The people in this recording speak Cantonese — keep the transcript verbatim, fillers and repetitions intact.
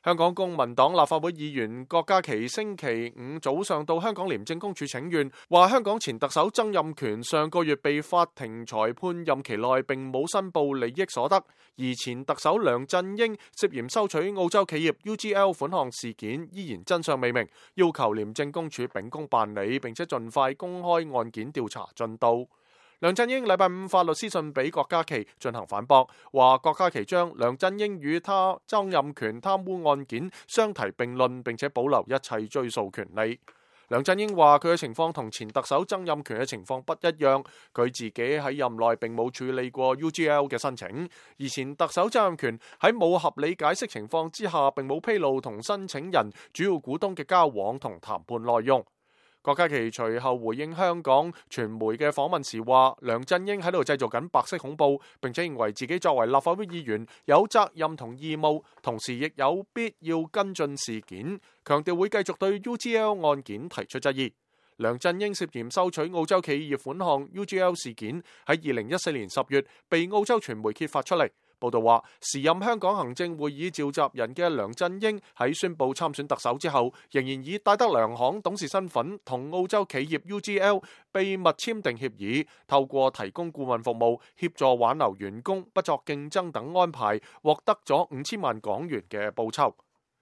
香港公民黨立法會議員郭家麒星期五早上到香港廉政公署請願，話香港前特首曾蔭權上個月被法庭裁判任期內並冇申報利益所得，而前特首梁振英涉嫌收取澳洲企業 U G L 款項事件依然真相未明，要求廉政公署秉公辦理，並且盡快公開案件調查進度。梁振英禮拜五發律師信俾郭家麒進行反駁，話郭家麒將梁振英與他曾蔭權貪污案件相提並論，並且保留一切追訴權利。梁振英話佢嘅情況同前特首曾蔭權嘅情況不一樣，佢自己喺任內並冇處理過 U G L 嘅申請，而前特首曾蔭權喺冇合理解釋情況之下，並冇披露同申請人主要股東嘅交往同談判內容。郭家麒隨後回應香港傳媒嘅訪問時話，梁振英喺度製造緊白色恐怖，並且認為自己作為立法會議員有責任同義務，同時亦有必要跟進事件，強調會繼續對 U G L 案件提出質疑。梁振英涉嫌收取澳洲企業款項 U G L 事件喺二零一四年十月被澳洲傳媒揭發出嚟。報道話，時任香港行政會議召集人嘅梁振英喺宣布參選特首之後，仍然以戴德梁行董事身份同澳洲企業 U G L 秘密簽訂協議，透過提供顧問服務協助挽留員工、不作競爭等安排，獲得咗五千萬港元嘅報酬。